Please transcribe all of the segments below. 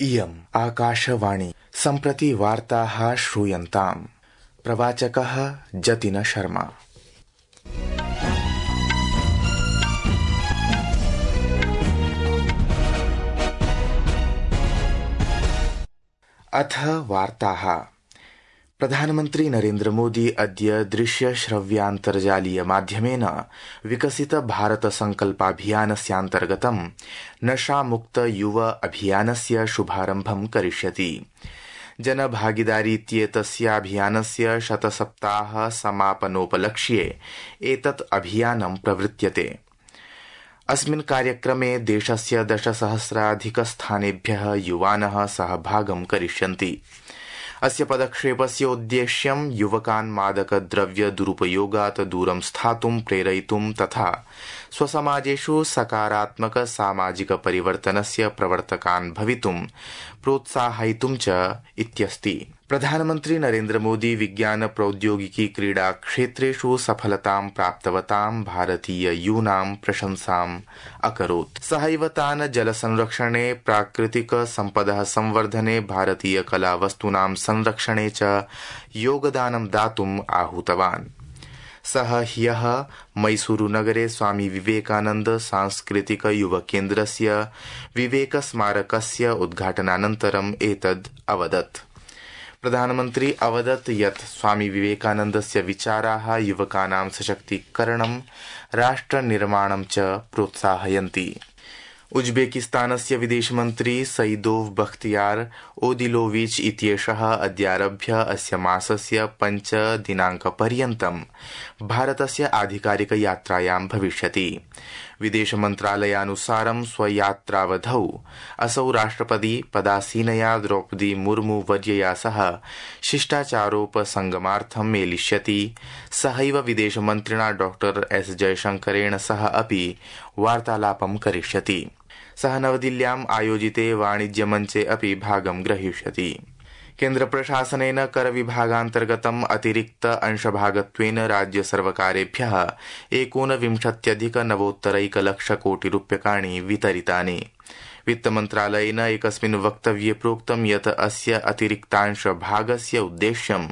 इयम् आकाशवाणी सम्प्रति वार्ताः श्रूयन्ताम्। प्रवाचकः जतिन शर्मा। अथ वार्ताः। प्रधानमन्त्री नरेन्द्र मोदी अद्य दृश्य श्रव्यान्तर्जालीय माध्यमेन विकसित भारत संकल्पाभियानस्यान्तर्गतं नशामुक्त युव अभियानस्य शुभारम्भं करिष्यति। जनभागीदारीत्येतस्याभियानस्य शतसप्ताह समापनोपलक्ष्ये एतत् अभियानं प्रवृत्यते। अस्मिन् कार्यक्रमे देशस्य 10,000-अधिकस्थानेभ्यः युवानः सहभागं करिष्यन्ति। अस्य पदक्षेपस्य उद्देश्यं युवकान् मादकद्रव्य दुरुपयोगात् दूरं स्थातुं प्रेरयितुं तथा स्वसमाजेषु सकारात्मक सामाजिक परिवर्तनस्य प्रवर्तकान् भवितुं प्रोत्साहयितुं च इत्यस्ति। प्रधानमन्त्री नरेन्द्र मोदी विज्ञान प्रौद्योगिकी क्रीडा क्षेत्रेषु सफलतां प्राप्तवतां भारतीय यूनां प्रशंसाम् अकरोत्। सहैव तान् जलसंरक्षणे, प्राकृतिक सम्पदः संवर्धने, भारतीय कलावस्तूनां संरक्षणे च योगदानं दातुम् आहूतवान्। सः ह्यः मैसूरुनगरे स्वामी विवेकानन्द सांस्कृतिक युवकेन्द्रस्य विवेकस्मारकस्य उद्घाटनानन्तरम् एतद् अवदत्। प्रधानमन्त्री अवदत् यत् स्वामी विवेकानन्दस्य विचाराः युवकानां सशक्तीकरणं, राष्ट्रनिर्माणं च प्रोत्साहयन्ति। उज्बेकिस्तानस्य विदेशमन्त्री सईदोव बख्तियार ओदिलोविच इत्येषः अद्यारभ्य अस्य मासस्य 5 दिनाङ्कपर्यन्तं भारतस्य आधिकारिकयात्रायां भविष्यति। विदेशमन्त्रालयानुसारं स्वयात्रावधौ असौ राष्ट्रपति पदासीनया द्रौपदी मुर्मू वर्यया सह शिष्टाचारोपसंगमार्थं मेलिष्यति। सहैव विदेशमन्त्रिणा डॉ एस जयशंकरेण सह अपि वार्तालापं करिष्यति। सः नवदिल्ल्याम् आयोजिते वाणिज्यमञ्चे अपि भागं ग्रहीष्यति। केन्द्रप्रशासनेन करविभागान्तर्गतम् अतिरिक्त अंशभागत्वेन राज्यसर्वकारेभ्यः 39,991,00,000,000 वितरितानि। वित्तमन्त्रालयेन एकस्मिन् वक्तव्ये प्रोक्तं यत् अस्य अतिरिक्तांशभागस्य उद्देश्यं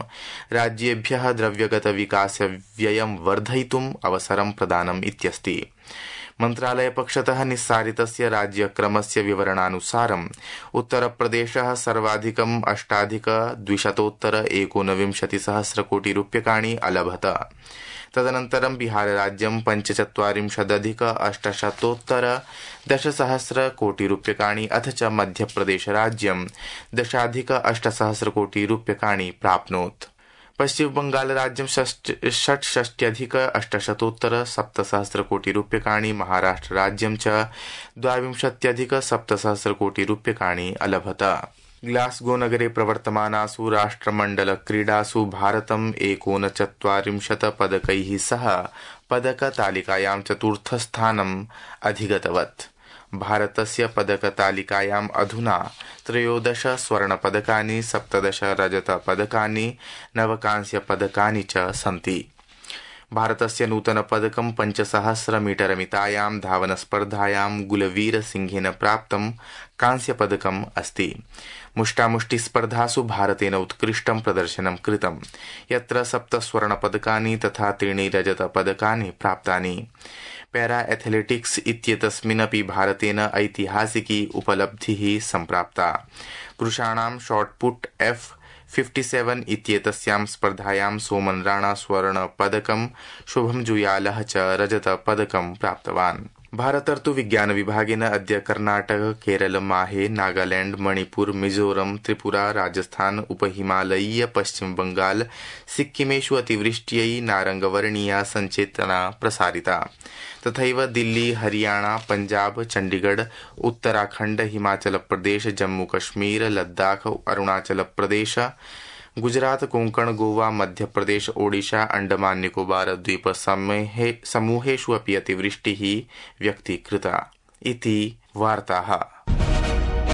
राज्येभ्यः द्रव्यगतविकासव्ययं वर्धयितुम् अवसरं प्रदानम् इत्यस्ति। मन्त्रालयपक्षतः निस्सारितस्य राज्यक्रमस्य विवरणानुसारम् उत्तरप्रदेशः सर्वाधिकम् 8,219,1,000,000,000 अलभत। तदनन्तरं बिहारराज्यं 45,अधिक-800,10,000,000,000 अथ च मध्यप्रदेशराज्यं 10,08,000,000,000 प्राप्नोत्। पश्चिमबंगालराज्यं 66,800,000,000,000, महाराष्ट्रराज्यं च 22,700,000,000,000 अलभत। ग्लास्गोनगरे प्रवर्तमानासु राष्ट्रमण्डलक्रीडासु भारतम् 39 पदकैः सह पदकतालिकायां 4स्थस्थानम् अधिगतवत्। भारतस्य पदकतालिकायाम् अधुना 13 स्वर्णपदकानि, 17 रजतपदकानि, 9 कांस्यपदकानि च सन्ति। भारतस्य नूतनपदकं 5,000 मीटरमितायां धावनस्पर्धायां गुलवीरसिंहेन प्राप्तं कांस्यपदकम् अस्ति। मुष्टामुष्टिस्पर्धासु भारतेन उत्कृष्टं प्रदर्शनं कृतं, यत्र 7 स्वर्णपदकानि तथा 3 रजतपदकानि प्राप्तानि। पैरा एथलेटिक्स इत्येतस्मिन्नपि भारतेन ऐतिहासिकी उपलब्धिः सम्प्राप्ता। पुरुषाणां शॉटपुट F57 इत्येतस्यां स्पर्धायां सोमन राणा स्वर्णपदकं, शुभम जुयालः च रजतपदकं प्राप्तवान्। भारतर्तु विज्ञान विभागेन अद्य कर्नाटक, केरल, माहे, नागालैंड, मणिपुर, मिजोरम, त्रिपुरा, राजस्थान, उपहिमालयीय पश्चिम बंगाल, सिक्किमेषु अतिवृष्ट्यै नारंगवर्णीया संचेतना प्रसारिता। तथैव दिल्ली, हरियाणा, पंजाब, चंडीगढ़, उत्तराखंड, हिमाचल प्रदेश, जम्मू कश्मीर, लद्दाख, अरुणाचल प्रदेश, गुजरात, कोंकण, गोवा, मध्य प्रदेश, ओडिशा, अंडमान निकोबार द्वीप समूहेषु अपि अतिवृष्टिः व्यक्तीकृता इति वार्ताः।